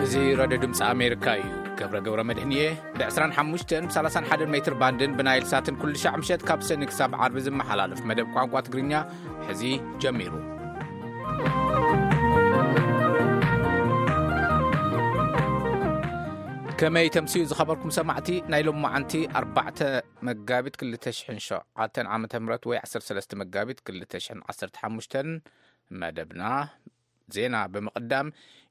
እዚ ራድዮ ድምፂ ኣሜሪካ እዩ። ገብረ ገብረ መድህን እየ። ብ ዕስራን ሓሙሽተን ብ ሰላሳን ሓደን ሜትር ባንድን ብናይል ሳትን ኩሉ ሻዕ ምሸት ካብ ሰኒ ክሳብ ዓርቢ ዝመሓላለፍ መደብ ቋንቋ ትግርኛ ሕዚ ጀሚሩ። ከመይ ተምስዩ ዝኸበርኩም ሰማዕቲ? ናይ ሎማዓንቲ ኣርባዕተ መጋቢት ክልተ ሽሕን ሸውዓተን ዓመተ ምህረት ወይ ዓሰርተ ሰለስተ መጋቢት ክልተ ሽሕን ዓሰርተ ሓሙሽተን መደብና ዜና ብምቕዳም፣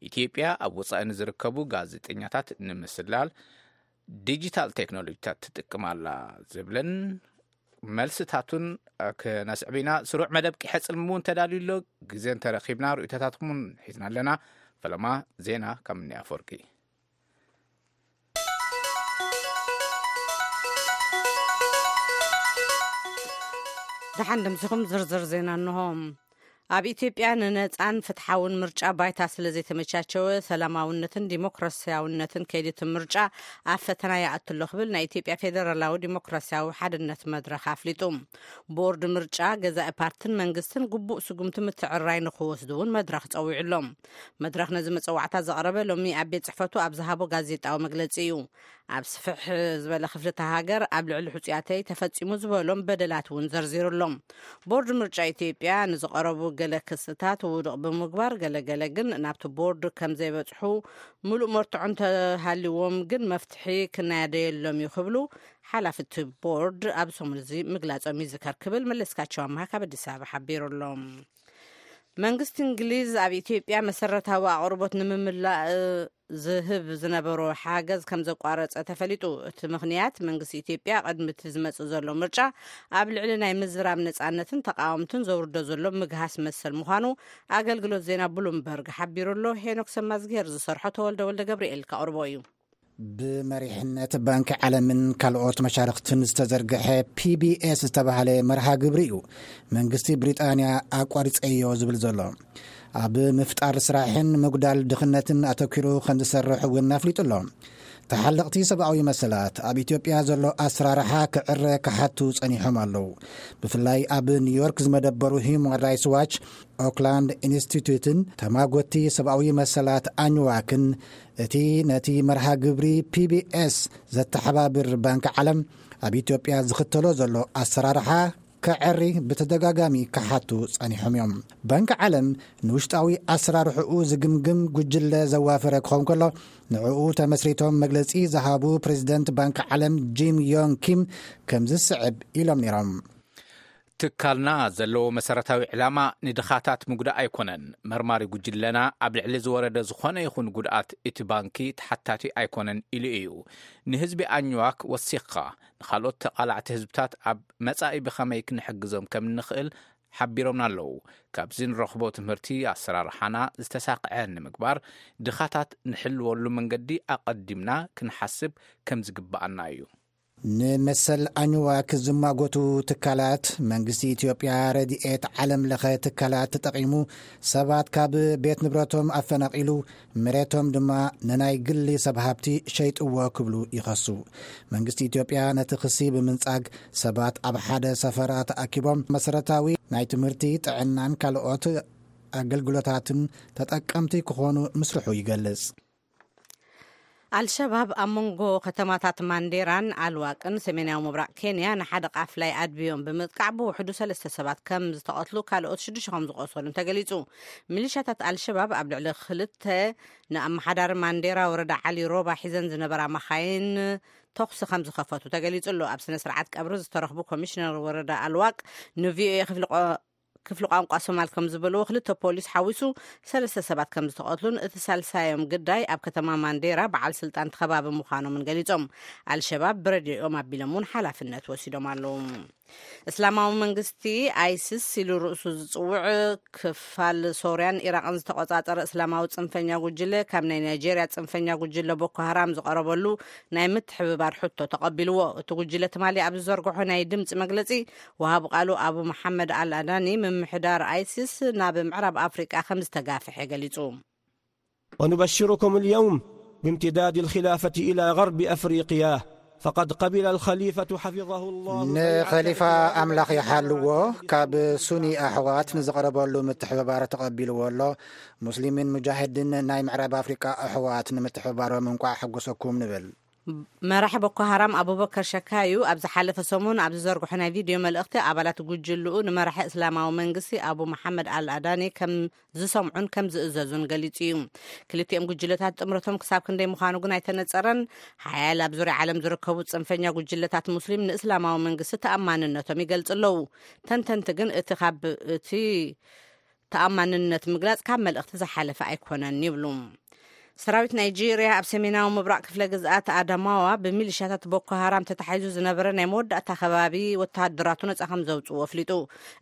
ኢትዮጵያ ኣብ ወጻኢ ንዝርከቡ ጋዜጠኛታት ንምስላል ዲጂታል ቴክኖሎጂታት ትጥቅም ኣላ ዝብልን መልስታቱን ክነስዕብ ኢና። ስሩዕ መደብ ቂሐ ጽልሚ እውን ተዳልዩ ኣሎ። ግዜ እንተረኺብና ርእይቶታትኩም እውን ሒዝና ኣለና። ፈለማ ዜና ካብ ምንያ ኣፈወርቂ። ደሓን ድምስኹም ዝርዝር ዜና እንሆ። ኣብ ኢትዮጵያ ንነጻን ፍትሓውን ምርጫ ባይታ ስለ ዘይተመቻቸወ፣ ሰላማውነትን ዲሞክራሲያውነትን ከይዲ እቲ ምርጫ ኣብ ፈተና ይኣቱ ኣሎ ክብል ናይ ኢትዮጵያ ፌደራላዊ ዲሞክራሲያዊ ሓድነት መድረኽ ኣፍሊጡ። ቦርድ ምርጫ፣ ገዛኢ ፓርትን መንግስትን ግቡእ ስጉምቲ ምትዕርራይ ንኽወስዱ እውን መድረኽ ጸዊዑ ኣሎ። መድረኽ ነዚ መጸዋዕታ ዘቕረበ ሎሚ ኣብ ቤት ጽሕፈቱ ኣብ ዝሃቦ ጋዜጣዊ መግለጺ እዩ። ኣብ ስፍሕ ዝበለ ክፍሊ እታ ሃገር ኣብ ልዕሊ ሕጹያተይ ተፈጺሙ ዝበሎም በደላት እውን ዘርዚሩ ኣሎ። ቦርድ ምርጫ ኢትዮጵያ ንዝቐረቡ ገለ ክስታት ውዱቕ ብምግባር፣ ገለገለ ግን ናብቲ ቦርድ ከም ዘይበጽሑ፣ ምሉእ መርትዖ እንተሃልዎም ግን መፍትሒ ክናደየሎም እዩ ክብሉ ሓላፊ እቲ ቦርድ ኣብ ሰሙን እዚ ምግላጾም ይዝከር ክብል መለስካቸው ኣምሃ ካብ ኣዲስ ኣበባ ሓቢሩ ኣሎ። መንግስቲ እንግሊዝ ኣብ ኢትዮጵያ መሰረታዊ ኣቕርቦት ንምምላእ ዝህብ ዝነበሮ ሓገዝ ከም ዘቋረጸ ተፈሊጡ። እቲ ምኽንያት፣ መንግስቲ ኢትዮጵያ ቅድሚ እቲ ዝመጽእ ዘሎ ምርጫ ኣብ ልዕሊ ናይ ምዝራብ ነጻነትን ተቃወምትን ዘውርዶ ዘሎ ምግሃስ መሰል ምዃኑ ኣገልግሎት ዜና ብሉምበርግ ሓቢሩ ኣሎ። ሄኖክ ሰማዝጌር ዝሰርሖ ተወልደ ወልደ ገብርኤል ከቕርቦ እዩ። ብመሪሕነት ባንኪ ዓለምን ካልኦት መሻርኽትን ዝተዘርግሐ ፒ ቢ ኤስ ዝተባህለ መርሃ ግብሪ እዩ መንግስቲ ብሪጣንያ ኣቋሪጸዮ ዝብል ዘሎ። ኣብ ምፍጣር ስራሕን ምጉዳል ድኽነትን ኣተኲሩ ከም ዝሰርሕ እውን ኣፍሊጡ ኣሎ። ተሓለቕቲ ሰብኣዊ መሰላት ኣብ ኢትዮጵያ ዘሎ ኣሰራርሓ ክዕረ ክሓቱ ጸኒሖም ኣለዉ። ብፍላይ ኣብ ኒውዮርክ ዝመደበሩ ሂዩማን ራይትስ ዋች፣ ኦክላንድ ኢንስቲትዩትን ተማጎቲ ሰብኣዊ መሰላት ኣኝዋክን፣ እቲ ነቲ መርሃ ግብሪ ፒ ቢ ኤስ ዘተሓባብር ባንኪ ዓለም ኣብ ኢትዮጵያ ዝኽተሎ ዘሎ ኣሰራርሓ ከዐሪ ብተደጋጋሚ ክሓቱ ጸኒሖም እዮም። ባንኪ ዓለም ንውሽጣዊ ኣሰራርሕኡ ዝግምግም ጉጅለ ዘዋፈረ ክኸውን ከሎ፣ ንዕኡ ተመስሪቶም መግለጺ ዝሃቡ ፕሬዚደንት ባንኪ ዓለም ጂም ዮንግ ኪም ከምዚ ዝስዕብ ኢሎም ነይሮም። ትካልና ዘለዎ መሰረታዊ ዕላማ ንድኻታት ምጉዳእ ኣይኮነን። መርማሪ ጉጅለና ኣብ ልዕሊ ዝወረደ ዝኾነ ይኹን ጉድኣት እቲ ባንኪ ተሓታቲ ኣይኮነን ኢሉ እዩ። ንህዝቢ ኣኝዋክ ወሲኽካ ንኻልኦት ተቓላዕቲ ህዝብታት ኣብ መጻኢ ብኸመይ ክንሕግዞም ከም እንኽእል ሓቢሮምና ኣለዉ። ካብዚ ንረኽቦ ትምህርቲ ኣሰራርሓና ዝተሳቕዐ ንምግባር ድኻታት ንሕልወሉ መንገዲ ኣቐዲምና ክንሓስብ ከም ዝግብኣና እዩ። ንመሰል ኣኝዋክ ዝማጎቱ ትካላት፣ መንግስቲ ኢትዮጵያ ረድኤት ዓለም ለኸ ትካላት ተጠቒሙ ሰባት ካብ ቤት ንብረቶም ኣፈናቒሉ፣ መሬቶም ድማ ንናይ ግሊ ሰብ ሃብቲ ሸይጥዎ ክብሉ ይኸሱ። መንግስቲ ኢትዮጵያ ነቲ ክሲ ብምንጻግ፣ ሰባት ኣብ ሓደ ሰፈራ ተኣኪቦም መሰረታዊ ናይ ትምህርቲ፣ ጥዕናን ካልኦት ኣገልግሎታትን ተጠቀምቲ ክኾኑ ምስርሑ ይገልጽ። ኣልሸባብ ኣብ መንጎ ከተማታት ማንዴራን ኣልዋቅን ሰሜናዊ ምብራቕ ኬንያ ንሓደ ቃፍላይ ኣድብዮም ብምጥቃዕ ብውሕዱ ሰለስተ ሰባት ከም ዝተቐትሉ ካልኦት ሽዱሽተ ከም ዝቆሰሉን ተገሊጹ። ሚሊሻታት ኣልሸባብ ኣብ ልዕሊ ክልተ ንኣመሓዳሪ ማንዴራ ወረዳ ዓሊ ሮባ ሒዘን ዝነበራ መኻይን ተኹሲ ከም ዝኸፈቱ ተገሊጹ ኣሎ። ኣብ ስነ ስርዓት ቀብሪ ዝተረኽቡ ኮሚሽነር ወረዳ ኣልዋቅ ንቪኦኤ ክፍሊ ቋ- ክፍሊ ቋንቋ ሶማል ከም ዝበልዎ፣ ክልተ ፖሊስ ሓዊሱ ሰለስተ ሰባት ከም ዝተቐትሉን እቲ ሳልሳዮም ግዳይ ኣብ ከተማ ማንዴራ በዓል ስልጣን እቲ ከባቢ ምዃኖምን ገሊጾም። ኣልሸባብ ብረድኦም ኣቢሎም እውን ሓላፍነት ወሲዶም ኣለዉ። እስላማዊ መንግስቲ ኣይሲስ ኢሉ ርእሱ ዝጽውዕ ክፋል ሶርያን ኢራቕን ዝተቆጻጸረ እስላማዊ ጽንፈኛ ጉጅለ ካብ ናይ ናይጄርያ ጽንፈኛ ጉጅለ ቦኮ ሃራም ዝቐረበሉ ናይ ምትሕብባር ሕቶ ተቐቢልዎ። እቲ ጉጅለ ትማሊ ኣብ ዝዘርግሖ ናይ ድምጺ መግለጺ፣ ወሃቢ ቃሉ ኣቡ መሓመድ ኣል ኣዳኒ፣ ምምሕዳር ኣይሲስ ናብ ምዕራብ ኣፍሪቃ ከም ዝተጋፍሐ ገሊጹ። ونبشركم اليوم بامتداد الخلافة إلى غرب أفريقيا، فقد قبل الخليفة حفظه الله ንኸሊፋ ኣምላኽ ይሓልዎ፣ ካብ ሱኒ ኣሕዋት ንዝቐረበሉ ምትሕብባር ተቐቢልዎ ኣሎ። ሙስሊምን ሙጃሂድን ናይ ምዕራብ ኣፍሪቃ ኣሕዋት ንምትሕብባሮም እንቋዕ ሓጎሰኩም ንብል። መራሒ ቦኮ ሃራም ኣቡበከር ሸካዩ ኣብ ዝሓለፈ ሰሙን ኣብ ዝዘርግሖ ናይ ቪድዮ መልእኽቲ፣ ኣባላት ጉጅልኡ ንመራሒ እስላማዊ መንግስቲ ኣቡ መሓመድ ኣል ኣዳኒ ከም ዝሰምዑን ከም ዝእዘዙን ገሊጹ እዩ። ክልቲኦም ጉጅለታት ጥምረቶም ክሳብ ክንደይ ምዃኑ ግን ኣይተነጸረን። ሓያል ኣብ ዙርያ ዓለም ዝርከቡ ጽንፈኛ ጉጅለታት ሙስሊም ንእስላማዊ መንግስቲ ተኣማንነቶም ይገልጹ ኣለዉ። ተንተንቲ ግን እቲ ካብ እቲ ተኣማንነት ምግላጽ ካብ መልእኽቲ ዝሓለፈ ኣይኮነን ይብሉ። ሰራዊት ናይጄርያ ኣብ ሰሜናዊ ምብራቕ ክፍለ ግዝኣት ኣዳማዋ ብሚሊሻታት ቦኮ ሃራም ተታሒዙ ዝነበረ ናይ መወዳእታ ከባቢ ወተሃደራቱ ነጻ ከም ዘውጽኡ ኣፍሊጡ።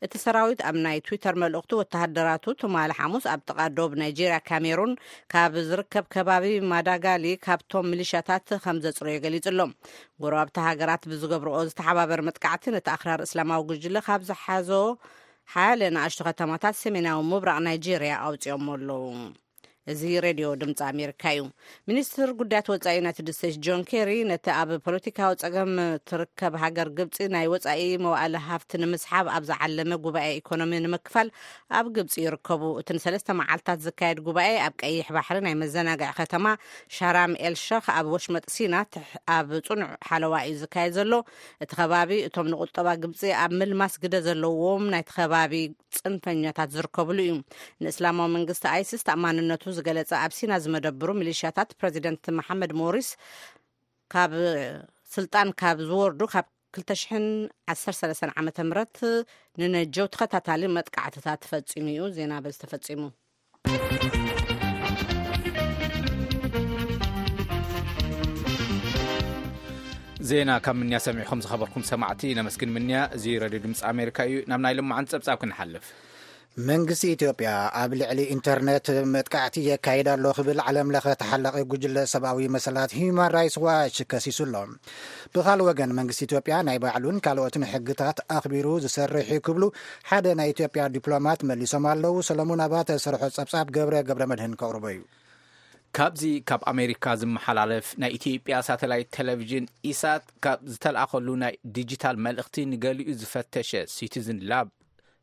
እቲ ሰራዊት ኣብ ናይ ትዊተር መልእኽቱ፣ ወተሃደራቱ ትማሊ ሓሙስ ኣብ ጥቓ ዶብ ናይጄርያ ካሜሩን ካብ ዝርከብ ከባቢ ማዳጋሊ ካብቶም ሚሊሻታት ከም ዘጽረዮ ገሊጹ ኣሎ። ጎረባብቲ ሃገራት ብዝገብርኦ ዝተሓባበረ መጥቃዕቲ ነቲ ኣኽራሪ እስላማዊ ጉጅለ ካብ ዝሓዞ ሓያለ ንኣሽቱ ከተማታት ሰሜናዊ ምብራቕ ናይጄርያ ኣውጺኦሞ ኣለዉ። እዚ ሬድዮ ድምፂ ኣሜሪካ እዩ። ሚኒስትር ጉዳያት ወፃኢ ዩናይትድ ስቴትስ ጆን ኬሪ ነቲ ኣብ ፖለቲካዊ ፀገም ትርከብ ሃገር ግብፂ ናይ ወፃኢ መዋእለ ሃፍቲ ንምስሓብ ኣብ ዝዓለመ ጉባኤ ኢኮኖሚ ንምክፋል ኣብ ግብፂ ይርከቡ። እቲ ንሰለስተ መዓልታት ዝካየድ ጉባኤ ኣብ ቀይሕ ባሕሪ ናይ መዘናግዒ ከተማ ሻራም ኤል ሸኽ ኣብ ወሽመጥ ሲና ትሕ- ኣብ ፅኑዕ ሓለዋ እዩ ዝካየድ ዘሎ። እቲ ከባቢ እቶም ንቁጠባ ግብፂ ኣብ ምልማስ ግደ ዘለዎም ናይቲ ከባቢ ፅንፈኛታት ዝርከብሉ እዩ። ንእስላማዊ መንግስቲ ኣይሲስ ተኣማንነቱ ዝገለጸ ኣብ ሲና ዝመደብሩ ሚሊሽያታት ፕረዚደንት መሓመድ ሞሪስ ካብ ስልጣን ካብ ዝወርዱ ካብ ክልተ ሽሕን ዓሰርተ ሰለስተን ዓመተ ምህረት ንነጀው ተኸታታሊ መጥቃዕትታት ፈጺሙ እዩ። ዜና በዚ ተፈጺሙ። ዜና ካብ ምንያ ሰሚዕኹም ዝኸበርኩም ሰማዕቲ ነመስግን። ምንያ እዚ ረድዮ ድምፂ ኣሜሪካ እዩ። ናብ ናይ ልማዓን ፀብፃብ ክንሓልፍ። መንግስቲ ኢትዮጵያ ኣብ ልዕሊ ኢንተርኔት መጥቃዕቲ የካይድ ኣሎ ክብል ዓለም ለኸ ተሓላቒ ጉጅለ ሰብኣዊ መሰላት ሂዩማን ራይትስ ዋች ከሲሱ ኣሎ። ብኻል ወገን መንግስቲ ኢትዮጵያ ናይ ባዕሉን ካልኦትን ሕግታት ኣኽቢሩ ዝሰርሕ እዩ ክብሉ ሓደ ናይ ኢትዮጵያ ዲፕሎማት መሊሶም ኣለዉ። ሰለሙን ኣባተ ዝሰርሖ ጸብጻብ ገብረ ገብረ መድህን ከቕርቦ እዩ። ካብዚ ካብ ኣሜሪካ ዝመሓላለፍ ናይ ኢትዮጵያ ሳተላይት ቴሌቪዥን ኢሳት ካብ ዝተልኣኸሉ ናይ ዲጂታል መልእኽቲ ንገሊኡ ዝፈተሸ ሲቲዝን ላብ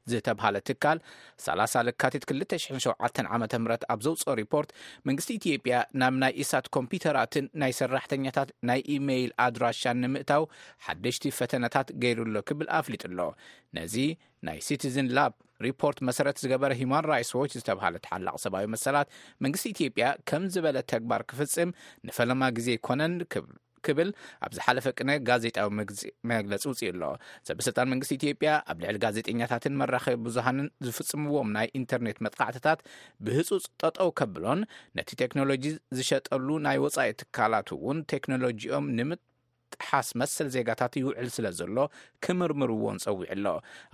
ዝተብሃለ ትካል ሰላሳ ለካቲት ክልተ ሽሕን ሸውዓተን ዓመተ ምህረት ኣብ ዘውፅኦ ሪፖርት መንግስቲ ኢትዮጵያ ናብ ናይ ኢሳት ኮምፒውተራትን ናይ ሰራሕተኛታት ናይ ኢሜይል ኣድራሻን ንምእታው ሓደሽቲ ፈተነታት ገይሩ ኣሎ ክብል ኣፍሊጡ ኣሎ። ነዚ ናይ ሲቲዝን ላብ ሪፖርት መሰረት ዝገበረ ሂማን ራይትስ ዎች ዝተብሃለ ተሓላቕ ሰብኣዊ መሰላት መንግስቲ ኢትዮጵያ ከም ዝበለ ተግባር ክፍጽም ንፈለማ ግዜ ኣይኮነን ክብል ክብል ኣብ ዝሓለፈ ቅነ ጋዜጣዊ መግለፂ ውፅኡ ኣሎ። ሰበስልጣን መንግስቲ ኢትዮጵያ ኣብ ልዕሊ ጋዜጠኛታትን መራኸቢ ብዙሃንን ዝፍፅምዎም ናይ ኢንተርኔት መጥቃዕትታት ብህፁፅ ጠጠው ከብሎን ነቲ ቴክኖሎጂ ዝሸጠሉ ናይ ወፃኢ ትካላት እውን ቴክኖሎጂኦም ንምጥሓስ መሰል ዜጋታት ይውዕል ስለ ዘሎ ክምርምርዎን ፀዊዑ ኣሎ።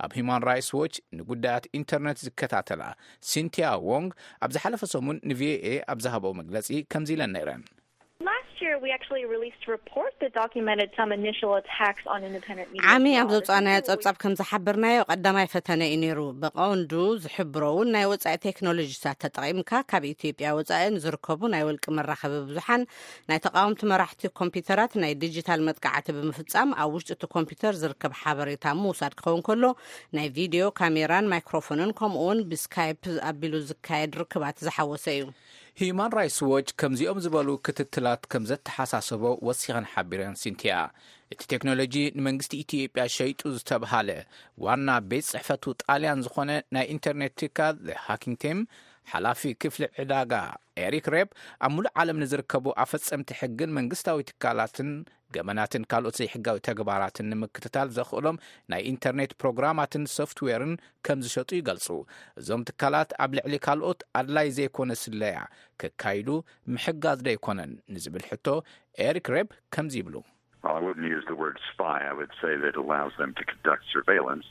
ኣብ ሂማን ራይትስ ዎች ንጉዳያት ኢንተርኔት ዝከታተላ ሲንቲያ ዎንግ ኣብ ዝሓለፈ ሰሙን ንቪኦኤ ኣብ ዝሃበው መግለፂ ከምዚ ኢለን ነይረን። Last year, we actually released a report that documented some initial attacks on independent media. ዓሚ ኣብ ዘውፃእናዮ ጸብጻብ ከም ዝሓበርናዮ ቀዳማይ ፈተነ እዩ ነይሩ። ብቐንዱ ዝሕብሮ እውን ናይ ወጻኢ ቴክኖሎጂታት ተጠቒምካ ካብ ኢትዮጵያ ወጻኢ ንዝርከቡ ናይ ወልቂ መራኸቢ ብዙሓን ናይ ተቓወምቲ መራሕቲ ኮምፒውተራት ናይ ዲጂታል መጥቃዕቲ ብምፍጻም ኣብ ውሽጢ እቲ ኮምፒውተር ዝርከብ ሓበሬታ ምውሳድ ክኸውን ከሎ ናይ ቪድዮ ካሜራን ማይክሮፎንን ከምኡ እውን ብስካይፕ ኣቢሉ ዝካየድ ርክባት ዝሓወሰ እዩ። ሂዩማን ራይትስ ዎች ከምዚኦም ዝበሉ ክትትላት ከም ዘተሓሳሰቦ ወሲኸን ሓቢረን። ሲንቲያ እቲ ቴክኖሎጂ ንመንግስቲ ኢትዮጵያ ሸይጡ ዝተብሃለ ዋና ቤት ጽሕፈቱ ጣልያን ዝኾነ ናይ ኢንተርኔት ትካል ሃኪንግ ቲም ሓላፊ ክፍሊ ዕዳጋ ኤሪክ ሬፕ ኣብ ሙሉእ ዓለም ንዝርከቡ ኣፈጸምቲ ሕግን መንግስታዊ ትካላትን ገበናትን ካልኦት ዘይሕጋዊ ተግባራትን ንምክትታል ዘኽእሎም ናይ ኢንተርኔት ፕሮግራማትን ሶፍትዌርን ከም ዝሸጡ ይገልጹ። እዞም ትካላት ኣብ ልዕሊ ካልኦት ኣድላይ ዘይኮነ ስለያ ከካይዱ ምሕጋዝ ዶ ኣይኮነን ንዝብል ሕቶ ኤሪክ ሬፕ ከምዚ ይብሉ። Well, I wouldn't use the word spy. I would say that it allows them to conduct surveillance,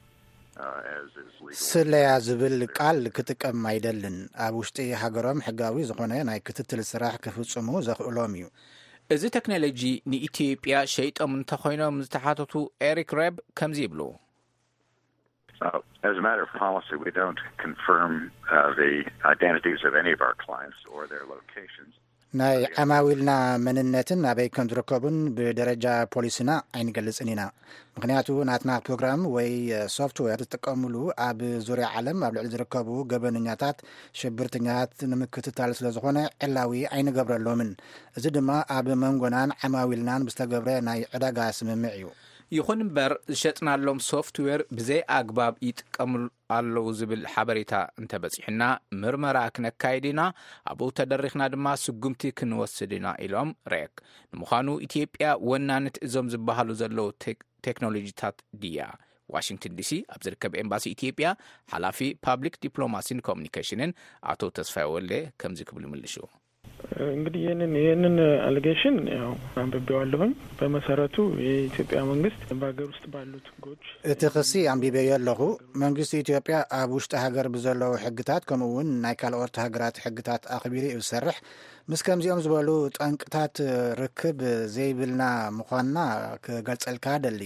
uh, as is legal. ስለያ ዝብል ቃል ክጥቀም ኣይደልን። ኣብ ውሽጢ ሃገሮም ሕጋዊ ዝኾነ ናይ ክትትል ስራሕ ክፍጽሙ ዘኽእሎም እዩ። እዚ ቴክኖሎጂ ንኢትዮጵያ ሸይጦም እንተኾይኖም ዝተሓተቱ ኤሪክ ሬብ ከምዚ ይብሉ። Uh, as a matter of policy, we don't confirm, uh, the identities of any of our clients or their locations. ናይ ዓማዊልና መንነትን ኣበይ ከም ዝርከቡን ብደረጃ ፖሊስና ኣይንገልጽን ኢና። ምኽንያቱ ናትና ፕሮግራም ወይ ሶፍትዌር ዝጥቀሙሉ ኣብ ዙርያ ዓለም ኣብ ልዕሊ ዝርከቡ ገበነኛታት፣ ሽብርተኛታት ንምክትታል ስለ ዝኾነ ዕላዊ ኣይንገብረሎምን። እዚ ድማ ኣብ መንጎናን ዓማዊልናን ብዝተገብረ ናይ ዕዳጋ ስምምዕ እዩ። ይኹን እምበር ዝሸጥናሎም ሶፍትዌር ብዘይ ኣግባብ ይጥቀምሉ ኣለዉ ዝብል ሓበሬታ እንተበጺሑና ምርመራ ክነካይድ ኢና፣ ኣብኡ ተደሪኽና ድማ ስጉምቲ ክንወስድ ኢና ኢሎም ሬክ። ንምዃኑ ኢትዮጵያ ወናኒት እዞም ዝበሃሉ ዘለዉ ቴክ-፣ ቴክኖሎጂታት ድያ? ዋሽንግተን ዲሲ ኣብ ዝርከብ ኤምባሲ ኢትዮጵያ ሓላፊ ፓብሊክ ዲፕሎማሲን ኮሙኒኬሽንን ኣቶ ተስፋይ ወልደ ከምዚ ክብሉ ይምልሹ። እንግዲህ ይህንን ይህንን አሊጌሽን ያው አንብቤዋለሁኝ። በመሰረቱ የኢትዮጵያ መንግስት በሀገር ውስጥ ባሉት ህጎች እቲ ክሲ ኣንቢበዮ ኣለኹ። መንግስቲ ኢትዮጵያ ኣብ ውሽጢ ሃገር ብዘለዉ ሕግታት ከምኡ እውን ናይ ካልኦት ሃገራት ሕግታት ኣኽቢሩ እዩ ዝሰርሕ። ምስ ከምዚኦም ዝበሉ ጠንቅታት ርክብ ዘይብልና ምዃንና ክገልጸልካ ደሊ።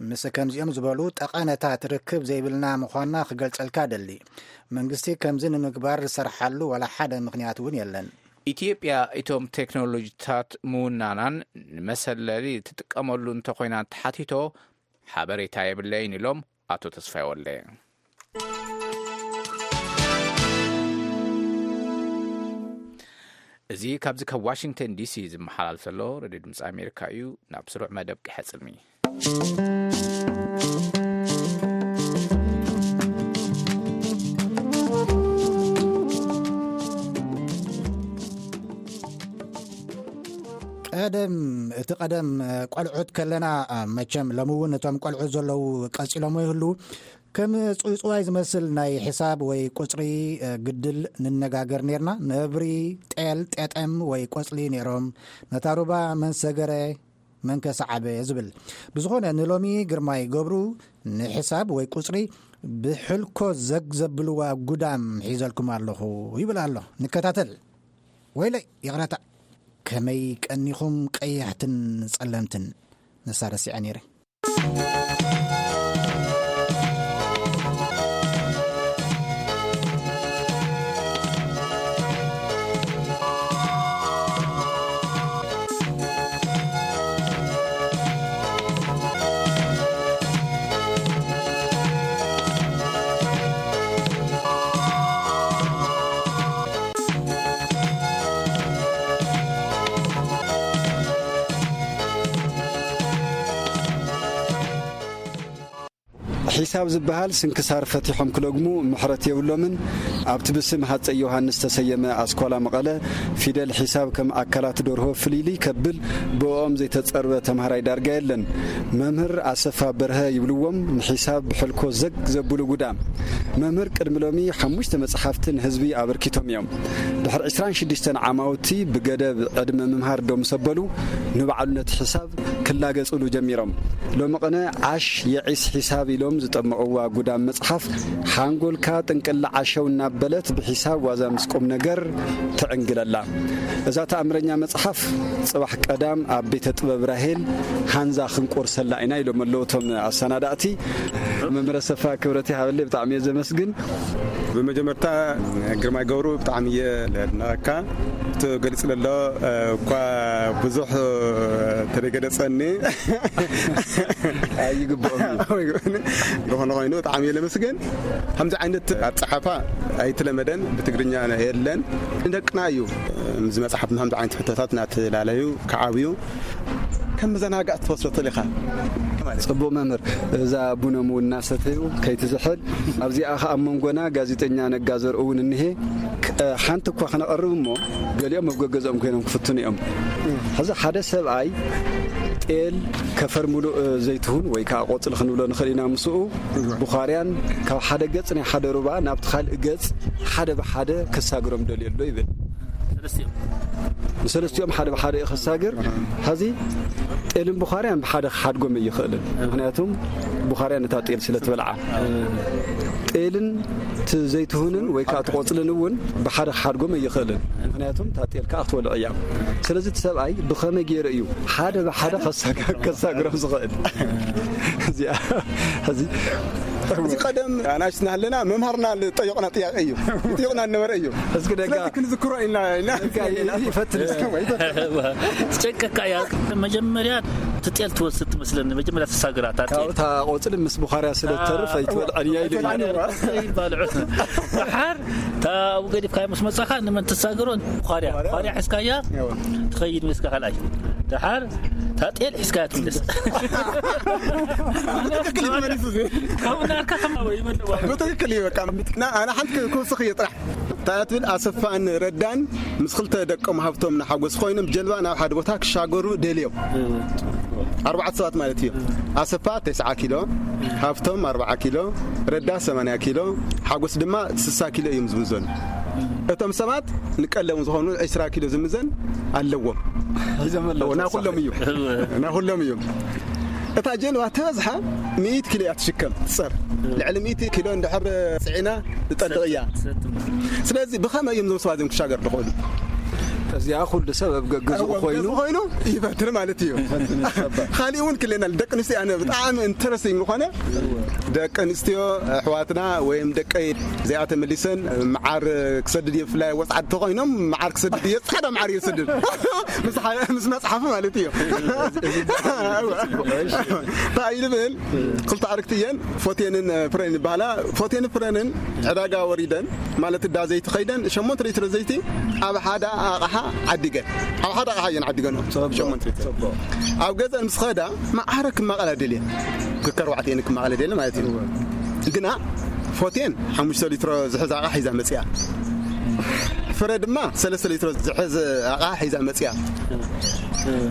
ምስ ከምዚኦም ዝበሉ ጠቐነታት ርክብ ዘይብልና ምዃንና ክገልጸልካ ደሊ። መንግስቲ ከምዚ ንምግባር ዝሰርሓሉ ዋላ ሓደ ምኽንያት እውን የለን። ኢትዮጵያ እቶም ቴክኖሎጂታት ምውናናን ንመሰለሊ ትጥቀመሉ እንተኾይና ተሓቲቶ ሓበሬታ የብለይን ኢሎም ኣቶ ተስፋይ ወልደ። እዚ ካብዚ ካብ ዋሽንግተን ዲሲ ዝመሓላልፍ ዘሎ ሬድዮ ድምፂ ኣሜሪካ እዩ። ናብ ስሩዕ መደብ ቀሐፅልሚ። ቀደም፣ እቲ ቀደም ቆልዑት ከለና፣ መቸም ሎሚ እውን እቶም ቆልዑት ዘለዉ ቀፂሎሞ ይህሉ። ከም ፅውፅዋይ ዝመስል ናይ ሕሳብ ወይ ቁፅሪ ግድል ንነጋገር ነርና። ነብሪ፣ ጤል፣ ጤጠም ወይ ቆፅሊ ነይሮም። ነታ ሩባ መን ሰገረ፣ መን ከ ሰዓበ ዝብል። ብዝኾነ ንሎሚ ግርማይ ገብሩ ንሕሳብ ወይ ቁፅሪ ብሕልኮ ዘግ ዘብልዋ ጉዳም ሒዘልኩም ኣለኹ ይብል ኣሎ። ንከታተል። ወይለይ ይቕረታ፣ ከመይ ቀኒኹም ቀያሕትን ጸለምትን። ንሳ ረሲዐ ነይረ። ሒሳብ ዝበሃል ስንክሳር ፈቲሖም ክለግሙ ምሕረት የብሎምን። ኣብቲ ብስም ሃፀይ ዮሃንስ ዝተሰየመ ኣስኳላ መቐለ ፊደል ሒሳብ ከም ኣካላት ደርሆ ፍልይልይ ከብል ብእኦም ዘይተፀርበ ተምሃራይ ዳርጋ የለን። መምህር ኣሰፋ በርሀ ይብልዎም ንሒሳብ ብሕልኮ ዘግ ዘብሉ ጉዳም። መምህር ቅድሚ ሎሚ ሓሙሽተ መፅሓፍቲ ንህዝቢ ኣበርኪቶም እዮም። ድሕሪ ዕስራን ሽዱሽተን ዓማውቲ ብገደብ ዕድመ ምምሃር ዶ ምስ ኣበሉ ንባዕሉ ነቲ ሒሳብ ክላገፅሉ ጀሚሮም። ሎሚ ቅነ ዓሽ የዒስ ሒሳብ ኢሎም ዝጠመቕዋ ጉዳም መፅሓፍ ሓንጎልካ ጥንቅላ ዓሸው እናበለት ብሒሳብ ዋዛ ምስ ቁም ነገር ትዕንግለላ። እዛ ተኣምረኛ መፅሓፍ ፅባሕ ቀዳም ኣብ ቤተ ጥበብ ራሄል ሃንዛ ክንቆርሰላ ኢና ኢሎም ኣለዉ እቶም ኣሰናዳእቲ። መምህር ኣሰፋ ክብረት ይሃበለይ፣ ብጣዕሚ እየ ዘመስግን። ብመጀመርታ ግርማይ ገብሩ ብጣዕሚ እየ ለድነቐካ። እቲ ገሊጽ ለሎ እኳ ብዙሕ ተደገደጸኒ ኣይግብኦም እዩ። ዝኾነ ኮይኑ ብጣዕሚ እየ ለመስገን። ከምዚ ዓይነት ኣጸሓፋ ኣይተለመደን፣ ብትግርኛ የለን። ንደቅና እዩ። ምስ መጽሓፍ ከምዚ ዓይነት ሕቶታት እናተላለዩ ክዓብዩ ከም መዘናጋዕ ትወስዶ ተሊኻ ማለት እዩ። ጽቡቕ መምህር፣ እዛ ቡኖም እውን እናሰተዩ ከይትዝሕል፣ ኣብዚኣ ኸኣ ኣብ መንጎና ጋዜጠኛ ነጋ ዘርኡ እውን እኒሄ። ክ-፣ ሓንቲ እኳ ክነቐርብ እሞ፣ ገሊኦም ኣብ ገገዝኦም ኮይኖም ክፍትኑ እዮም። ሕዚ ሓደ ሰብኣይ ጤል፣ ከፈር ሙሉእ ዘይትሁን ወይ ከዓ ቆጽሊ ክንብሎ ንኽእል ኢና፣ ምስኡ ብዃርያን ካብ ሓደ ገጽ ናይ ሓደ ሩባ ናብቲ ካልእ ገጽ ሓደ ብሓደ ከሳግሮም ደልዮ ኣሎ ይብል። ሰለስቲኦም። ንሰለስቲኦም ሓደ ብሓደ እዩ ከሳግር። ሕዚ ጤልን ቡኻርያን ብሓደ ክሓድጎም ኣይኽእልን። ምኽንያቱም ቡኻርያ ነታ ጤል ስለ ትበልዓ። ጤልን እቲ ዘይትሁንን ወይ ከዓ እቲ ቆፅልን እውን ብሓደ ክሓድጎም ኣይኽእልን። ምኽንያቱም እታ ጤል ከዓ ክትበልዕ እያ። ስለዚ እቲ ሰብኣይ ብኸመይ ገይሩ እዩ ሓደ ብሓደ ከሳግ-፣ ከሳግሮም ዝኽእል? እዚኣ፣ ሕዚ እዚ ቀደም ኣናእሽትና ኣለና መምሃርና ዝጠየቑና ጥያቄ እዩ። ይጠየቑና ነበረ እዩ። እስኪ ደጋ ስለዚ ክንዝክሮ ኢና፣ ኢና። ደጋ ይፈትን እስኪ። ጨቀካ እያ። መጀመርያ ትጤል ትወስድ ትመስለኒ። መጀመርያ ትሳግራ እታ ጤል። ካብታ ቆጽሊ ምስ ቡኻርያ ስለ ትተርፍ ኣይትበልዐን እያ ኢሉ እዩ። ኣይባልዑ። ደሓር እታ ኣብኡ ገዲፍካዮ ምስ መጻኻ ንመን ትሳግሮ? ቡኻርያ። ቡኻርያ ሒዝካያ እዋ። ትኸይድ ምስካ ካልኣይ። ደሓር እታ ጤል ሒዝካያ ትምለስ። ትክክል እዩ መሊሱ እዚ። ካብኡ ናርካ ከማወ ይመልዋ። ብትክክል እዩ በቃ። ና-፣ ኣነ ሓንቲ ክውስኽ እየ ጥራሕ። እንታይ ትብል? ኣሰፋን ረዳን ምስ ክልተ ደቆም ሃብቶም ንሓጎስ ኮይኖም ጀልባ ናብ ሓደ ቦታ ክሻገሩ ደልዮም። ኣርባዕተ ሰባት ማለት እዩ። ኣሰፋ ተስዓ ኪሎ፣ ሃብቶም ኣርብዓ ኪሎ፣ ረዳ ሰማንያ ኪሎ፣ ሓጎስ ድማ ስሳ ኪሎ እዮም ዝምዘኑ። እቶም ሰባት ንቀለሙ ዝኾኑ ዕስራ ኪሎ ዝምዘን ኣለዎም። ሒዞም ኣለዉ። ናይ ኩሎም እዩ። ናይ ኩሎም እዩ። እታ ጀልባ ተበዝሓ ሚእቲ ኪሎ እያ ትሽከም፣ ትጸር። ልዕሊ ሚእቲ ኪሎ እንድሕር ጽዒና ትጠልቕ እያ። ትሰጥም። ስለዚ ብኸመይ እዮም እዞም ሰባት እዚኦም ክሻገሩ ዝኽእሉ? እዚኣ ኩሉ ሰብ ኣብ ገገዝኡ እዎ፣ ኣብ ኮይኑ ገዝኡ ኮይኑ ይፈትር ማለት እዩ። ይፈትን ይጸበ። ካሊእ እውን ክልኤና ኣሎ። ደቂ ኣንስትዮ ኣነ ብጣዕሚ ኢንተረስቲንግ ዝኾነ፣ ደቂ ኣንስትዮ ኣሕዋትና ወይም ደቀይ እዚኣ ተመሊሰን መዓር ክሰድድ እየ፣ ብፍላይ ወጽዓት ተኾይኖም መዓር ክሰድድ እየ፣ ጻዕዳ መዓር እየ ዝሰድድ። ምስ ሓ-፣ ምስ መጽሓፊ ማለት እዩ። እንታይ እዩ ዝብል? ክልተ ኣርክቲ እየን፣ ፎቴንን ፍሬን ይበሃላ። ፎቴን ፍሬንን ዕዳጋ ወሪደን፣ ማለት እዳ ዘይቲ ኸይደን፣ ሸሞንተ ሊትሮ ዘይቲ ኣብ ሓደ ኣቕሓ ዓዲገን። ኣብ ሓደ ኣቕሓ እየን ዓዲገን። ጽቡቕ፣ ሸሞንተ ሊትሮ። ጽቡቕ። ኣብ ገዘን ምስ ኸዳ፣ መዓረ ክማቐላ ደልየን። ክከርባዕት እየን ክማቐላ ደልየን ማለት እዩ። እወ። ግና ፎቴን ሓሙሽተ ሊትሮ ዝሕዝ ኣቕሓ ሒዛ መጽያ። ፍረ ድማ ሰለስተ ሊትሮ ዝሕዝ ኣቕሓ ሒዛ መጽያ።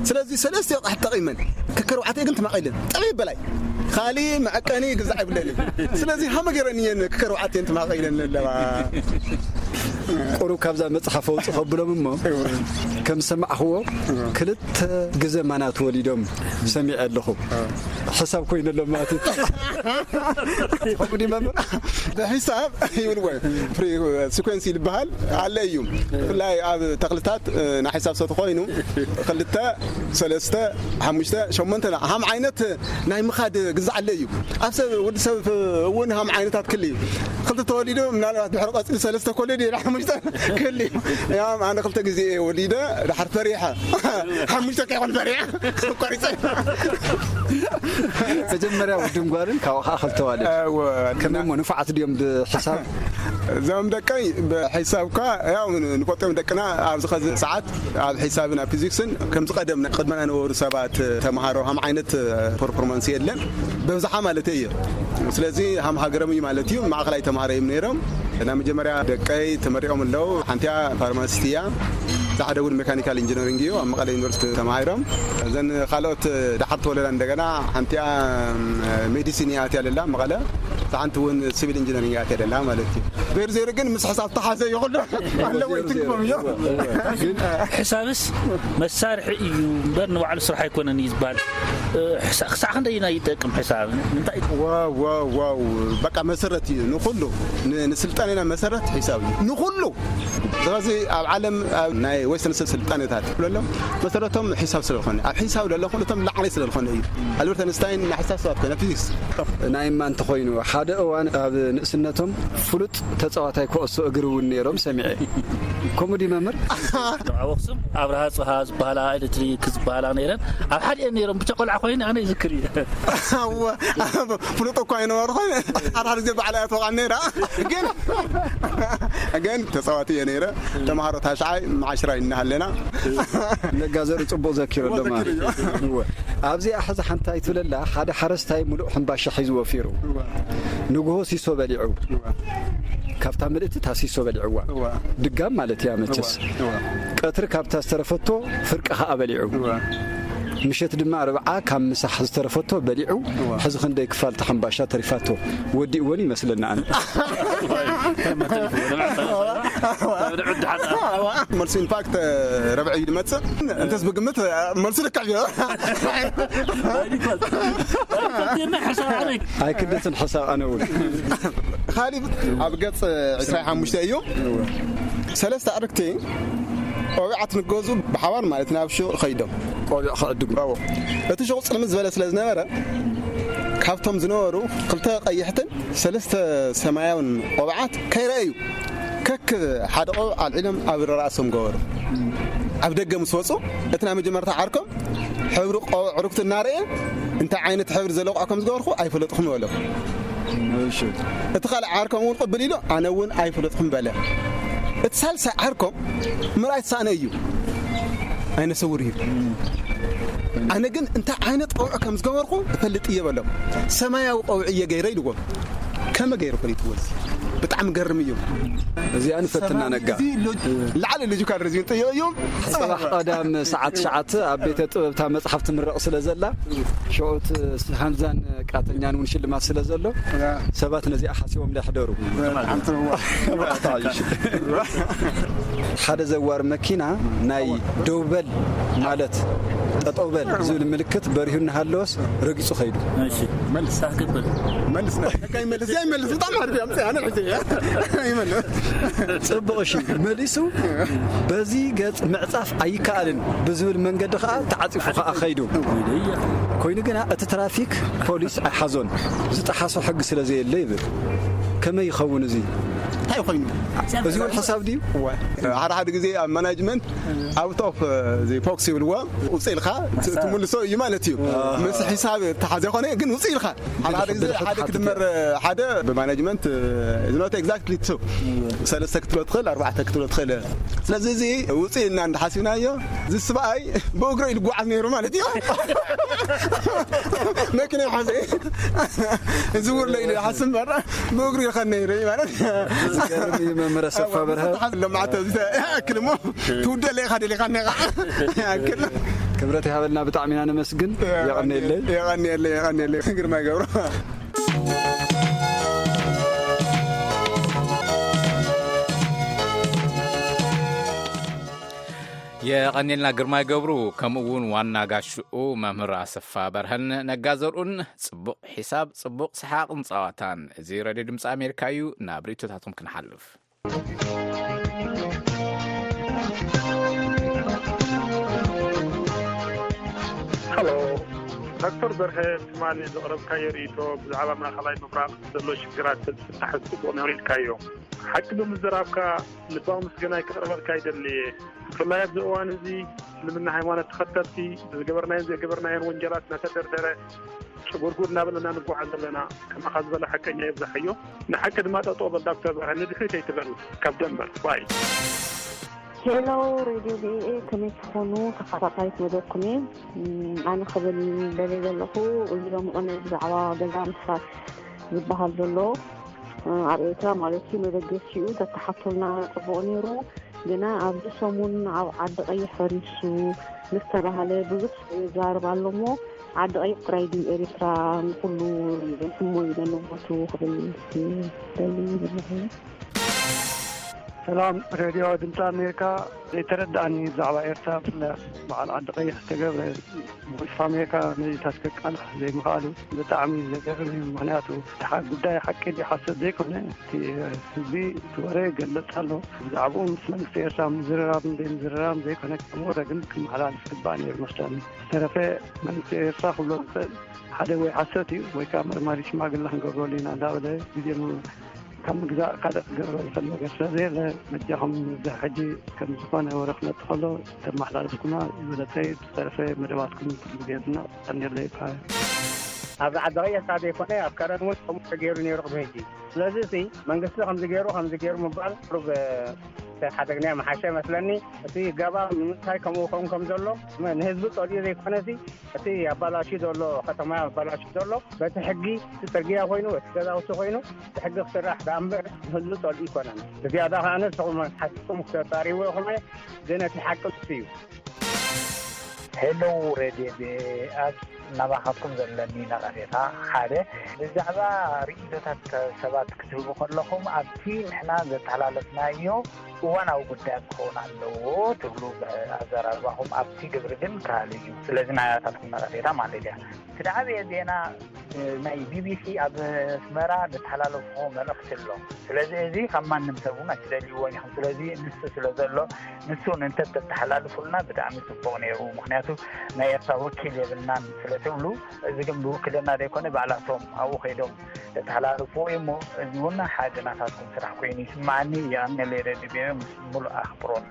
ስለዚ ሰለስተ ኣቕሓ ተጠቒመን፣ ከከርባዕተ ግን ተማቒለን። ጠቢብ በላይ። ካሊ መዐቀኒ ግዛዕ ይብለኒ። ስለዚ ሃመ ገይረን እየን ከከርባዕተ እየን ተማቒለን ኣለዋ። ቁሩብ ካብዛ መጽሓፍ ኣውጽእ ከብሎም እሞ፣ ከም ዝሰማዕኽዎ፣ ክልተ ግዘ ማናት ወሊዶም ሰሚዐ ኣለኹ። ሕሳብ ኮይኑ ኣሎ ማለት እዩ። ከምኡ ድዩ መምህር? ብሕሳብ ይብልዎ፣ ፍሪ ሲኮንስ ይበሃል፣ ኣለ እዩ። ብፍላይ ኣብ ተኽልታት፣ እ፣ ናይ ሕሳብ ሰት ኮይኑ፣ ክልተ፣ ሰለስተ፣ ሓሙሽተ፣ ሸሞንተ፣ ሃም ዓይነት ናይ ምኻድ ግዛዕ ኣለ እዩ። ኣብ ሰብ፣ ወዲ ሰብ እውን ሃም ዓይነታት ክል እዩ። ክልተ ተወሊዱ፣ ምናልባት ድሕሪ ቀጽሊ ሰለስተ ኮለድ እዩ፣ ሓሙሽተ ክል እዩ። ያም ኣነ ክልተ ግዜ እየ ወሊደ፣ ድሓር ፈሪሐ። ሓሙሽተ ከይኮን ፈሪሐ፣ ቆሪጸ። መጀመርያ ውድን ጓልን፣ ካብኡ ኸዓ ክልተ ኣዋልድ። እወ። ከመይ እሞ፣ ንፉዓት ድዮም ብሕሳብ? እዞም ደቀይ ብሕሳብ እኳ፣ ያው ንፈልጦም ደቅና ኣብዚ ኸዚ ሰዓት ኣብ ሒሳብን ኣብ ፊዚክስን ከምዚ ቀደም ቅድመና ነበሩ ሰባት ተምሃሮ ሃም ዓይነት ፐርፎርማንስ የለን፣ በብዝሓ ማለት እዩ። ስለዚ ሃም ሃገሮም እዩ ማለት እዩ። ማእኸላይ ተምሃሮ እዮም ነይሮም። ናይ መጀመርያ ደቀይ ተመሪቖም ኣለዉ። ሓንቲኣ ፋርማሲስት እያ፣ እዛ ሓደ እውን ሜካኒካል ኢንጂነሪንግ እዩ፣ ኣብ መቐለ ዩኒቨርሲቲ ተማሂሮም። እዘን ካልኦት ደሓር ተወለዳ እንደገና ሓንቲኣ ሜዲሲን እያ ኣትያ ደላ መቐለ፣ እዛ ሓንቲ እውን ሲቪል ኢንጂነሪንግ እያ ኣትያ ደላ ማለት እዩ። ዜሮ ዜሮ ግን ምስ ሕሳብ ተሓዘ ይኹሉ ኣለዎ፣ ይትንክፎም እዮም። ግን ሕሳብስ መሳርሒ እዩ እምበር ንባዕሉ ስራሕ ኣይኮነን እዩ ዝበሃል። እ፣ ሕሳ-፣ ክሳዕ ክንደይ ኢና ይጠቅም ሕሳብ? እንታይ? ዋው፣ ዋው፣ ዋው። በቃ መሰረት እዩ ንኹሉ። ን-፣ ንስልጣኔና መሰረት ሕሳብ እዩ። ንኹሉ። ስለዚ ኣብ ዓለም፣ ኣብ ናይ ዌስተርን ስልጣኔታት ብለሎም መሰረቶም ሕሳብ ስለ ዝኾነ፣ ኣብ ሕሳብ ለሎ ኩሉ እቶም ላዕሊ ስለ ዝኾነ እዩ። ኣልበርት ኣንስታይን ናይ ሕሳብ ሰባት ኮነ፣ ፊዚክስ። ናይ እማ እንተኾይኑ፣ ሓደ እዋን ኣብ ንእስነቶም ፍሉጥ ተጻዋታይ ኩዕሶ እግሪ እውን ነይሮም ሰሚዐ። ከምኡ ድዩ መምህር? ኣብ ኣኽሱም ኣብርሃ ጽሃ ዝበሃላ፣ ኤሌክትሪክ ዝበሃላ ነይረን። ኣብ ሓዲአን ነይሮም፣ ብቻ ቆልዓ ኮይነ ኣነ ይዝክር እየ። እወ፣ ፍሉጥ እኳ ኣይነበርኹን። ሓደ ሓደ ግዜ ባዕላ እያ ትወቕዓኒ ነይራ። ግን፣ ግን ተጻዋቲ እየ ነይረ። ተምሃሮ ታሽዓይ መዓሽራይ እናሃለና። ነጋ ዘርኢ ጽቡቕ ዘኪሩ ኣሎ ማለት እዩ። እወ። ኣብዚኣ ሕዚ ሓንቲ ኣይትብለላ፣ ሓደ ሓረስታይ ሙሉእ ሕምባሻ ሒዙ ወፊሩ። እወ። ንግሆ ሲሶ በሊዑ። እወ። ካብታ ምልእቲ እታ ሲሶ በሊዕዋ። እወ። ድጋም ማለት እያ መቸስ። እወ። እወ። ቀትሪ ካብታ ዝተረፈቶ ፍርቂ ኸኣ በሊዑ። እወ። ምሸት ድማ ርብዓ ካብ ምሳሕ ዝተረፈቶ በሊዑ። እወ። ሕዚ ክንደይ ክፋል እታ ሕምባሻ ተሪፋቶ? ወዲእወን ይመስለኒ ኣነ። መልሱ ኢንፋክት ረብዒ እዩ ዝመጽእ። እንተስ ብግምት መልሱ ልክዕ እዩ። ኣይክደትን ሓሳብ ኣነ እውን። ካሊብ ኣብ ገጽ ዕስራን ሓሙሽተን እዩ። ሰለስተ ኣዕርክቲ ቆቢዓት ንገዙ ብሓባር ማለት ናብ ሹቕ ከይዶም። ቆቢዕ ክዕድጉ። እቲ ሹቕ ጽልምት ዝበለ ስለ ዝነበረ ካብቶም ዝነበሩ ክልተ ቀይሕትን ሰለስተ ሰማያውን ቆብዓት ከይረኣዩ ከክ ሓደ ቆብዕ ኣልዒሎም ኣብ ራእሶም ገበሩ። ኣብ ደገ ምስ ወፁ እቲ ናይ መጀመርታ ዓርኮም ሕብሪ ቆብዕ ዕርክቱ እናረእየ እንታይ ዓይነት ሕብሪ ዘለዎ ቆብዕ ከም ዝገበርኩ ኣይፈለጥኹም በሎ። እቲ ካልእ ዓርኮም እውን ቅብል ኢሉ ኣነ እውን ኣይፈለጥኹም በለ። እቲ ሳልሳይ ዓርኮም ምርኣይ ተሳእነ እዩ። ኣይነ ስውር እዩ። ኣነ ግን እንታይ ዓይነት ቆብዕ ከም ዝገበርኩ እፈልጥ እየ በሎም። ሰማያዊ ቆብዕ እየ ገይረ ኢልዎም። ከመ ገይሩ ፈሊጥዎ? እዚ ብጣዕሚ ገርም እዩ። እዚኣ ንፈትና ነጋ። እዚ ሎ- ላዕሊ ሎጂካል ሪዝን ጥዮ እዮም። ጽባሕ ቀዳም ሰዓት ትሽዓተ ኣብ ቤተ ጥበብታ መጽሓፍ ትምረቕ ስለ ዘላ ሽዑት ሃንዛን ቃተኛን እውን ሽልማት ስለ ዘሎ ሰባት ነዚኣ ሓሲቦም እንዳይሕደሩ። ሓደ ዘዋር መኪና ናይ ደው በል ማለት ጠጠው በል ዝብል ምልክት በሪሁ እናሃለወስ ረጊጹ ከይዱ። እሺ። መልስ። ታክብል። መልስ ነ- ነካ ይመልስ፣ ያ ይመልስ። በጣም አሪፍ ያምጽ፣ ያነ ሒዘ፣ ያ ይመልስ። ጽቡቕ፣ እሺ፣ መሊሱ። በዚ ገጽ ምዕጻፍ ኣይከኣልን ብዝብል መንገዲ ከኣ ተዓጺፉ ከኣ ከይዱ። ኮይኑ ግና እቲ ትራፊክ ፖሊስ ኣይሓዞን። ዝጠሓሶ ሕጊ ስለ ዘየለ ይብል። ከመይ ይኸውን እዚ? እንታይ ኮይኑ? እዚ እውን ሓሳብ ድዩ? እወ። ሓደ ሓደ ግዜ ኣብ ማናጅመንት ኣውት ኦፍ ዘ ቦክስ ይብልዎ። ውፅእ ኢልካ ት- ትምልሶ እዩ ማለት እዩ። ምስ ሒሳብ ተሓዘ ኮነ ግን ውፅእ ኢልካ ሓደ ሓደ ግዜ ሓደ ክድመር ሓደ ብማናጅመንት is not exactly two ሰለስተ ክትብሎ ትኽእል ኣርባዕተ ክትብሎ ትኽእል። ስለዚ እዚ ውፅእ ኢልና እንዳሓሲብናዮ እዚ ስብኣይ ብእግሩ ኢሉ ጓዓዝ ነይሩ ማለት እዩ። መኪና ይሓዘ ዝውር ኢሉ ይሓስብ እምበር ብእግሩ ይኸድ ነይሩ ማለት። ዝገርም እዩ መምህር ኣሰፋ በርሀ። ሎማዓት ተኣክል እሞ ትውደለ ኢኻ ደሊኻ ነኻ ይኣክል። ክብረት ይሃበልና፣ ብጣዕሚ ኢና ነመስግን። የቐንየለይ። የቐንየለይ፣ የቐንየለይ። ግርማይ ገብሩ። የቐንየልና ግርማይ ገብሩ፣ ከምኡ እውን ዋና ጋሽኡ መምህር ኣሰፋ በርሀን ነጋ ዘርኡን። ጽቡቕ ሒሳብ፣ ጽቡቕ ሰሓቕን ጸዋታን። እዚ ሬድዮ ድምፂ ኣሜሪካ እዩ። ናብ ርእይቶታቶም ክንሓልፍ። ሃሎ፣ ዶክተር በርሀ፣ ትማሊ ዘቕረብካዮ ርእይቶ ብዛዕባ ማእኸላይ ምብራቕ ዘሎ ሽግራት ተዝፍታሕ ጽቡቕ ነይሩ ኢልካዮ። ሓቂ ብምዝራብካ ልባዊ ምስጋናይ ከቕርበልካ ይደሊ እየ። ብፍላይ ኣብዚ እዋን እዚ እስልምና ሃይማኖት ተኸተልቲ ብዝገበርናዮን ዘይገበርናዮን ወንጀላት እናተደርደረ ጭጉርጉር እናበለና ንጓዓዝ ዘለና ከማኻ ዝበለ ሓቀኛ የብዝሓዮ። ንሓቂ ድማ ጠጠው በል ዳክተር በርሀ ንድሕሪት ኣይትበል ካብ ደንበር ባይ። ሄሎ ሬድዮ ቪኦኤ ከመይ ትኾኑ? ተኸታታሊት መደብኩም እየ። እም፣ ኣነ ክብል ደልየ ዘለኹ እዚ ሎሚ ቅነ ብዛዕባ ገዛ ምስራት ዝበሃል ዘሎ ኣብ ኤርትራ ማለት እዩ መበገሲኡ ተተሓቶልና ጽቡቕ ነይሩ። ግና ኣብዚ ሰሙን ኣብ ዓዲ ቀይሕ ፈሪሱ ምስ ተባህለ ብዙሕ ይዛረብ ኣሎ እሞ ዓዲ ቀይሕ ጥራይ ድዩ ኤርትራ ንኩሉ ዘይሕሞ እዩ ነንቦቱ ክብል ደሊ ዘለኹ። ሰላም ሬድዮ ድምፂ ኣሜሪካ። ዘይተረድኣኒ ብዛዕባ ኤርትራ ብፍላይ በዓል ዓዲ ቀይሕ ዝተገብረ ቮይስ ኣሜሪካ ነዚ ታስከቃልሕ ዘይምኽኣሉ ብጣዕሚ ዘገርም እዩ። ምኽንያቱ እቲ ሓ- ጉዳይ ሓቂ ድዩ ሓሰት ዘይኮነ እቲ ህዝቢ እቲ ወረ ይገልጽ ኣሎ። ብዛዕባኡ ምስ መንግስቲ ኤርትራ ምዝርራብ ዘይምዝርራብ ዘይኮነ ከም ወረ ግን ክመሓላልፍ ግባእ ነይሩ መስለኒ። ዝተረፈ መንግስቲ ኤርትራ ክብሎ ዝኽእል ሓደ ወይ ሓሰት እዩ ወይ ከዓ መርማሪ ሽማግለ ክንገብረሉ ኢና እንዳበለ ግዜ ም- ካብ ምግዛእ ካልእ ክገብሮ ዝኽእል ነገር ስለ ዘየለ በጃኹም እዚ ሕጂ ከም ዝኾነ ወረ ክመጽእ ከሎ ተመሓላልፍኩማ ዝበለጸ እዩ። ዝተረፈ መደባትኩም ኩሉ ግዜ ኣድናቕ ቀንየለይ ይበሃል። ኣብዚ ዓዲ ቀይሕ ካብ ዘይኮነ ኣብ ከረን እውን ከምኡ ተገይሩ ነይሩ ቅድሚ ሕጂ። ስለዚ እቲ መንግስቲ ከምዚ ገይሩ ከምዚ ገይሩ ምባል ቁሩብ ተሓደግናዮ ምሓሸ መስለኒ። እቲ ገባ ንምንታይ ከምኡ ኸውን ከም ዘሎ ንህዝቢ ጸልኡ ዘይኮነ እቲ ኣባላሹ ዘሎ ከተማ ኣባላሹ ዘሎ በቲ ሕጊ እቲ ጽርግያ ኮይኑ እቲ ገዛውቲ ኮይኑ ብሕጊ ክስራሕ ደኣ እምበር ንህዝቢ ጸልኡ ኣይኮነን። ብዝያዳ ከኣ ንስኹም ሓሲብኩም ክተጻርይዎ ኢኹም ግን እቲ ሓቂ ንሱ እዩ። ሄሎ ሬድዮ ቢኣስ ናባኻትኩም ዘለኒ ነቐፌታ ሓደ፣ ብዛዕባ ርእይቶታት ሰባት ክትህቡ ከለኹም ኣብቲ ንሕና ዘተሓላለፍናዮ እዋናዊ ጉዳያት ክኸውን ኣለዎ ትብሉ ኣዘራርባኹም ኣብቲ ግብሪ ግን ክሃሉ እዩ። ስለዚ ናያታትኩም ነቐፌታ ማለት እያ። እቲ ዝዓበየ ዜና ናይ ቢቢሲ ኣብ ኣስመራ ዝተሓላለፎ መልእኽቲ ኣሎ። ስለዚ እዚ ካብ ማንም ሰብ እውን ኣይትደልይዎን ኢኹም። ስለዚ ንሱ ስለ ዘሎ ንሱ እውን እንተተተሓላልፉልና ብጣዕሚ ጽቡቕ ነይሩ። ምክንያቱ ናይ ኤርትራ ወኪል የብልናን ስለ ትብሉ፣ እዚ ግን ብውክልና ዘይኮነ ባዕላቶም ኣብኡ ከይዶም ዝተሓላልፍዎ እዩ እሞ፣ እዚ እውን ሓደ ናታትኩም ስራሕ ኮይኑ ይስማዓኒ። የቐንየለይ ሬድዮ ምስ ሙሉእ ኣኽብሮት።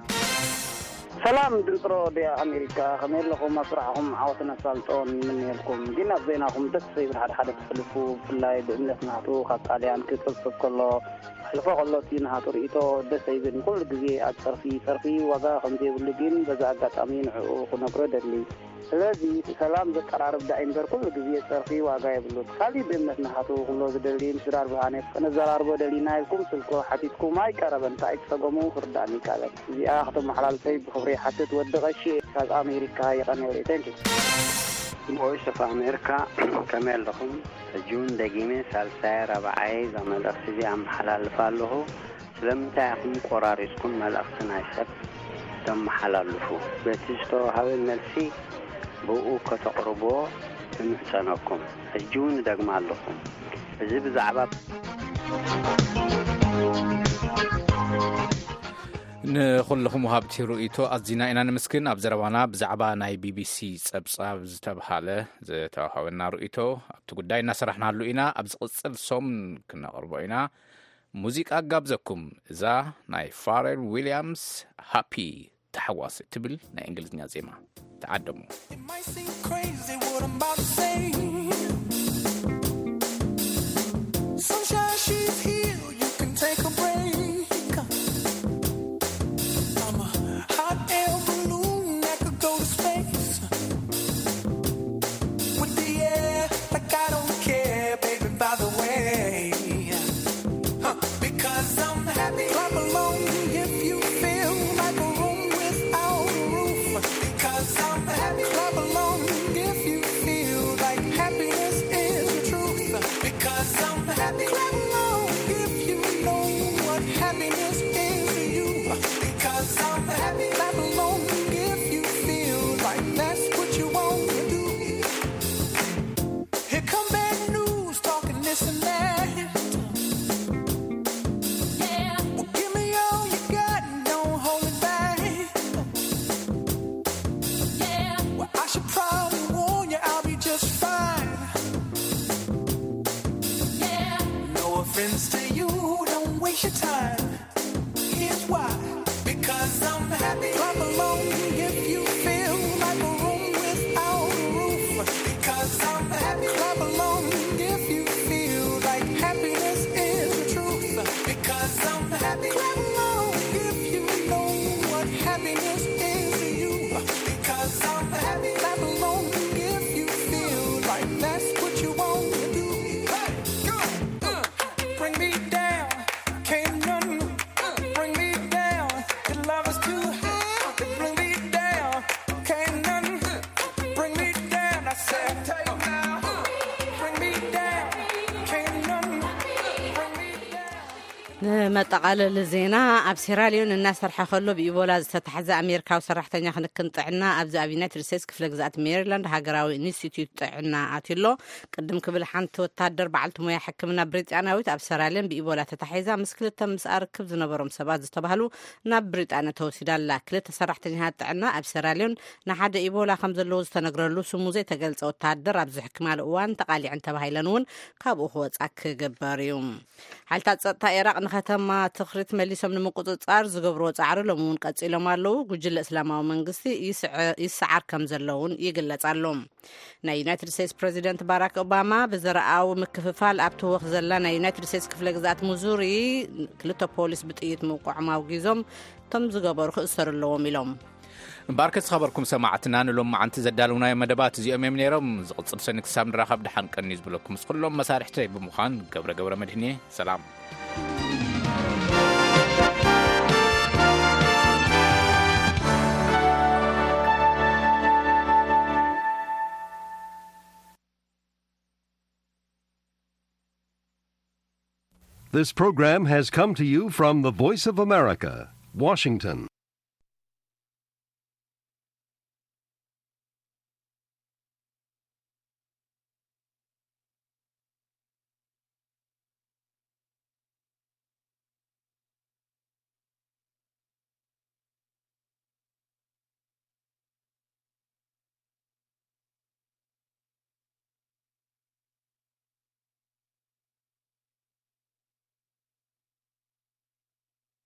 ሰላም ድምፂ ሬድዮ ኣሜሪካ፣ ከመይ ኣለኹም? ኣብ ስራሕኹም ዓወትን ኣሳልጦን ንምንየልኩም። ግን ኣብ ዜናኹም ደስ ዘይብል ሓደ ሓደ ትሕልፉ፣ ብፍላይ ብእምነት ናቱ ካብ ጣልያን ክፅብፅብ ከሎ፣ ሕልፎ ከሎ እቲ ናቱ ርእይቶ ደስ ኣይብል። ኩሉ ግዜ ኣብ ፀርፊ፣ ፀርፊ ዋጋ ከም ዘይብሉ ግን በዚ ኣጋጣሚ ንዕኡ ክነግሮ ደሊ። ስለዚ ሰላም ዘቀራርብ ዳኣ እምበር ኩሉ ግዜ ጸርፊ ዋጋ የብሉን። ካሊእ ብእምነት ናሃቱ ክብሎ ዝደሊ፣ ምስ ድራር ብርሃነ ከነዘራርቦ ደሊና ኢልኩም ስልኮ ሓቲትኩም ኣይቀረበን። እንታይ ጸገሙ ክርዳእኒ ይቃለል። እዚኣ ከተመሓላልፈይ ብኽብሪ ይሓትት። ወዲ ቀሺ ካብ ኣሜሪካ የቐንየለይ። Thank you። Voice of America፣ ከመይ ኣለኹም? ሕጂ እውን ደጊመ ሳልሳይ ራብዓይ እዛ መልእኽቲ እዚኣ ኣመሓላልፍ ኣለኹ። ስለምንታይ ኢኹም ቆራሪጽኩም መልእኽቲ ናይ ሰብ ተመሓላልፉ? በቲ ዝተዋህበ መልሲ ብኡ ከተቕርብዎ እምሕጸነኩም። ሕጂ እውን እደግማ ኣለኹ። እዚ ብዛዕባ ንኹልኹም ወሃብቲ ርእይቶ ኣዚና ኢና ንምስግን። ኣብ ዘረባና ብዛዕባ ናይ ቢቢሲ ጸብጻብ ዝተብሃለ ዝተዋህበና ርእይቶ ኣብቲ ጉዳይ እናሰራሕናሉ ኢና። ኣብ ዝቕጽል ሰሙን ክነቕርቦ ኢና። ሙዚቃ ጋብዘኩም። እዛ ናይ ፋሬል ዊልያምስ ሃፒ ተሓዋስ እትብል ናይ እንግሊዝኛ ዜማ ተዓደሙ። It might seem crazy what I'm about to say. Sunshine, she's here, you can take a break. I'm a hot air balloon that could go to space. With the air, like I don't care, baby, by the way. Huh, because I'm happy. Clap along if you feel like a room without a roof. Because I'm happy. Clap along if you feel like happiness is the truth. Because I'm happy. Clap along if you know what happiness is to you. Because I'm happy. Clap along if you feel like that's what you want to do. Here come bad news, talking this and that. Yeah. Well, give me all you got and don't hold it back. Yeah. Well, I should probably warn you, I'll be just fine. Yeah. No offense to you, don't waste your time. Here's why. Because I'm happy. Clap along if you feel like a room without a roof. Because I'm happy. Clap along if you feel like happiness is the truth. Because I'm happy. Clap along if you know what happiness is to you. Because I'm happy. Clap along if you feel like that's what you want to do. Hey, go. Uh, bring me down. Can't none bring me down. Your love is too high. Bring me down. Can't none bring me down. I said, bring me down. Can't none bring me down. ንመጠቓለሊ ዜና፣ ኣብ ሴራሊዮን እናሰርሐ ከሎ ብኢቦላ ዝተታሕዘ ኣሜሪካዊ ሰራሕተኛ ክንክን ጥዕና ኣብዚ ኣብ ዩናይትድ ስቴትስ ክፍለ ግዝኣት ሜሪላንድ ሃገራዊ ኢንስቲትዩት ጥዕና ኣትዩ ኣሎ። ቅድም ክብል ሓንቲ ወታደር በዓልቲ ሞያ ሕክምና ብሪጣንያዊት ኣብ ሴራሊዮን ብኢቦላ ተታሒዛ ምስ ክልተ ምስኣ ርክብ ዝነበሮም ሰባት ዝተባህሉ ናብ ብሪጣንያ ተወሲዳ ኣላ። ክልተ ሰራሕተኛታት ጥዕና ኣብ ሴራሊዮን ንሓደ ኢቦላ ከም ዘለዎ ዝተነግረሉ ስሙ ዘይተገልጸ ወታደር ኣብ ዝሕክማሉ እዋን ተቓሊዐን ተባሂለን እውን ካብኡ ክወጻ ክግበር እዩ። ሓይልታት ጸጥታ ኢራቕ ንከተማ ትኽሪት መሊሶም ንምቁጽጻር ዝገብርዎ ጻዕሪ ሎሚ እውን ቀጺሎም ኣለዉ። ጉጅለ እስላማዊ መንግስቲ ይስዐ-፣ ይሰዓር ከም ዘሎ እውን ይግለጽ ኣሎ። ናይ ዩናይትድ ስቴትስ ፕረዚደንት ባራክ ኦባማ ብዘረኣዊ ምክፍፋል ኣብቲ ወኽ ዘላ ናይ ዩናይትድ ስቴትስ ክፍለ ግዝኣት ሙዙሪ ክልተ ፖሊስ ብጥይት ምውቅዖም ኣውጊዞም፣ እቶም ዝገበሩ ክእሰሩ ኣለዎም ኢሎም። እምበኣርከ ዝኸበርኩም ሰማዕትና፣ ንሎማዓንቲ ዘዳለውናዮ መደባት እዚኦም እዮም ነይሮም። ዝቕጽል ሰኒ ክሳብ ንራኸብ ደሓን ቀንዩ ዝብለኩም ምስ ኩሎም መሳርሕተይ ብምዃን ገብረ ገብረ መድህን እየ። ሰላም። This program has come to you from the Voice of America, Washington.